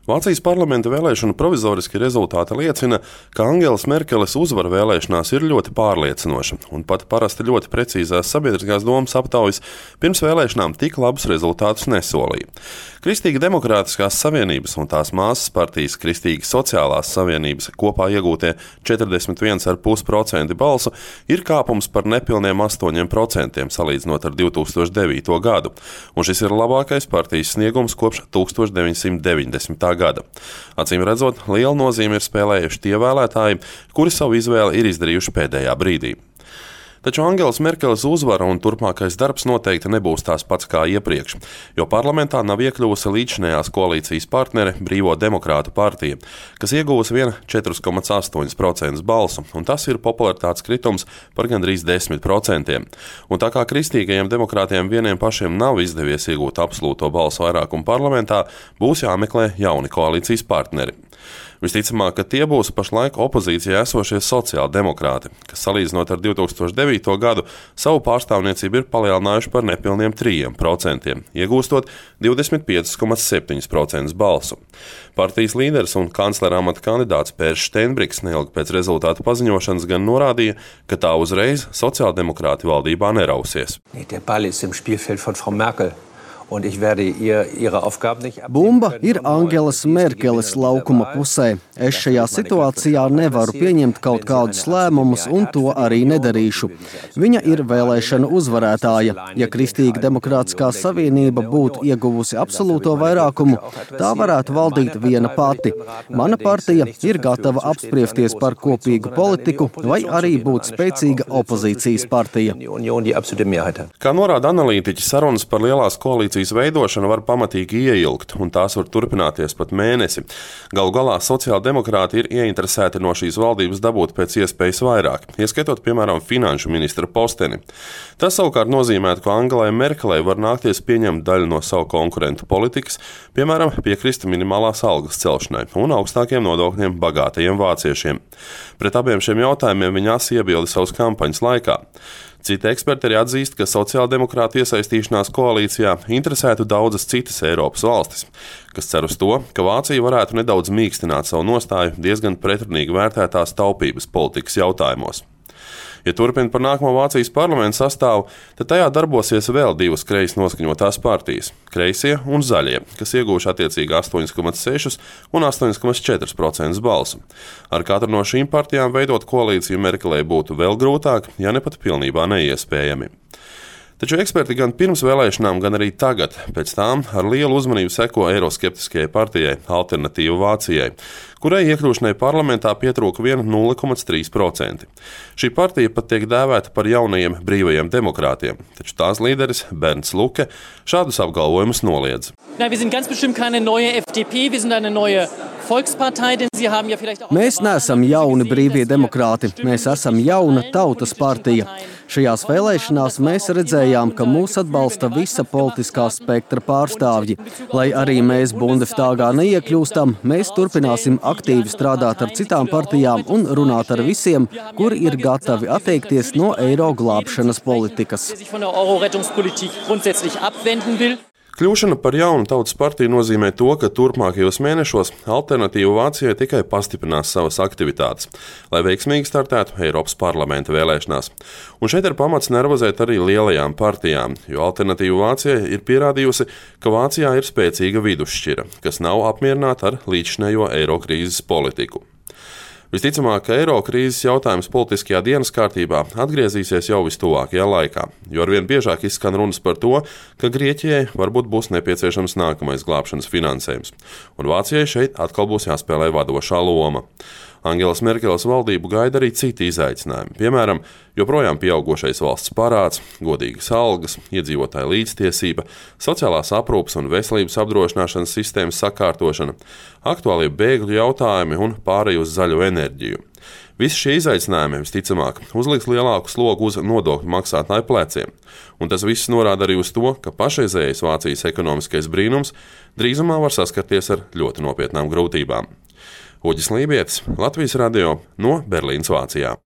Vācijas parlamenta vēlēšanu provizoriski rezultāti liecina, ka Angelas Merkeles uzvara vēlēšanās ir ļoti pārliecinoša, un pat parasti ļoti precīzās sabiedriskās domas aptaujas pirms vēlēšanām tik labus rezultātus nesolīja. Kristīgi demokrātiskās savienības un tās māsas partijas Kristīgi sociālās savienības kopā iegūtie 41,5% balsu ir kāpums par nepilniem 8% salīdzinot ar 2009. gadu, un šis ir labākais partijas sniegums kopš 1990. gada. Acīm redzot, lielu nozīmi ir spēlējuši tie vēlētāji, kuri savu izvēli ir izdarījuši pēdējā brīdī. Taču Angelas Merkeles uzvara un turpmākais darbs noteikti nebūs tās pats kā iepriekš, jo parlamentā nav iekļuvusi līdzinējās koalīcijas partnere Brīvo demokrātu partija, kas ieguvusi vien 4,8% balsu, un tas ir popularitātes kritums par gandrīz 10%. Un tā kā kristīgajiem demokrātiem vieniem pašiem nav izdevies iegūt absolūto balsu vairākumu parlamentā, būs jāmeklē jauni koalīcijas partneri. Visticamāk, ka tie būs pašlaik opozīcijā esošie sociāldemokrāti, kas salīdzinot ar 2009. gadu savu pārstāvniecību ir palielinājuši par nepilniem 3%, iegūstot 25,7% balsu. Partijas līderis un kanclera amata kandidāts Pērs Steinbriks neilgi pēc rezultātu paziņošanas gan norādīja, ka tā uzreiz sociāldemokrāti valdībā nerausies. Bumba ir Angelas Merkeles laukuma pusē. Es šajā situācijā nevaru pieņemt kaut kādus lēmumus un to arī nedarīšu. Viņa ir vēlēšana uzvarētāja. Ja Kristīga demokrātiskā savienība būtu ieguvusi absolūto vairākumu, tā varētu valdīt viena pati. Mana partija ir gatava apspriesties par kopīgu politiku vai arī būt spēcīga opozīcijas partija. Kā norāda analītiķi, sarunas par lielās koalīcijas veidošana var pamatīgi ieilgt, un tās var turpināties pat mēnesi. Galu galā sociāldemokrāti ir ieinteresēti no šīs valdības dabūt pēc iespējas vairāk, ieskaitot, piemēram, finanšu ministra posteni. Tas savukārt nozīmētu, ka Angelai Merkelei var nākties pieņemt daļu no savu konkurentu politikas, piemēram, piekrist minimālās algas celšanai un augstākiem nodokļiem bagātajiem vāciešiem. Pret abiem šiem jautājumiem viņa iebilda savas kampaņas laikā. Citi eksperti arī atzīst, ka sociāldemokrātu iesaistīšanās koalīcijā interesētu daudzas citas Eiropas valstis, kas cer uz to, ka Vācija varētu nedaudz mīkstināt savu nostāju diezgan pretrunīgi vērtētās taupības politikas jautājumos. Ja turpina par nākamo Vācijas parlamentu sastāvu, tad tajā darbosies vēl divas kreisi noskaņotās partijas – kreisie un zaļie, kas iegūši attiecīgi 8,6 un 8,4% balsu. Ar katru no šīm partijām veidot koalīciju Merkelei būtu vēl grūtāk, ja ne pat pilnībā neiespējami. Taču eksperti gan pirms vēlēšanām, gan arī tagad, pēc tām ar lielu uzmanību seko eiroskeptiskajai partijai Alternatīva Vācijai, kurai iekļūšanai parlamentā pietrūka vien 0,3%. Šī partija pat tiek dēvēta par jaunajiem brīvajiem demokrātiem, taču tās līderis Bernds Luke šādus apgalvojumus noliedz. Mēs neesam jauni brīvie demokrāti, mēs esam jauna tautas partija. Šajās vēlēšanās mēs redzējām, ka mūs atbalsta visa politiskā spektra pārstāvji. Lai arī mēs Bundestāgā neiekļūstam, mēs turpināsim aktīvi strādāt ar citām partijām un runāt ar visiem, kuri ir gatavi atteikties no eiro glābšanas politikas. Kļūšana par jaunu tautas partiju nozīmē to, ka turpmākajos mēnešos Alternatīva Vācijai tikai pastiprinās savas aktivitātes, lai veiksmīgi startētu Eiropas parlamenta vēlēšanās. Un šeit ir pamats nervozēt arī lielajām partijām, jo Alternatīva Vācijai ir pierādījusi, ka Vācijā ir spēcīga vidusšķira, kas nav apmierināta ar līdzšinējo eiro krīzes politiku. Visticamāk, ka eiro krīzes jautājums politiskajā dienas kārtībā atgriezīsies jau vistuvākajā laikā, jo arvien biežāk izskan runas par to, ka Grieķijai varbūt būs nepieciešams nākamais glābšanas finansējums, un Vācijai šeit atkal būs jāspēlē vadošā loma. Angelas Merkeles valdību gaida arī citi izaicinājumi, piemēram, joprojām pieaugošais valsts parāds, godīgas algas, iedzīvotāju līdztiesība, sociālās aprūpes un veselības apdrošināšanas sistēmas sakārtošana, aktuālie bēgļu jautājumi un pārēj uz zaļo enerģiju. Visi šie izaicinājumi, visticamāk, uzliks lielāku slogu uz nodokļu maksātāju pleciem, un tas viss norāda arī uz to, ka pašreizējais Vācijas ekonomiskais brīnums drīzumā var saskarties ar ļoti nopietnām grūtībām. Uģis Lībietis, Latvijas radio no Berlīnas, Vācijā.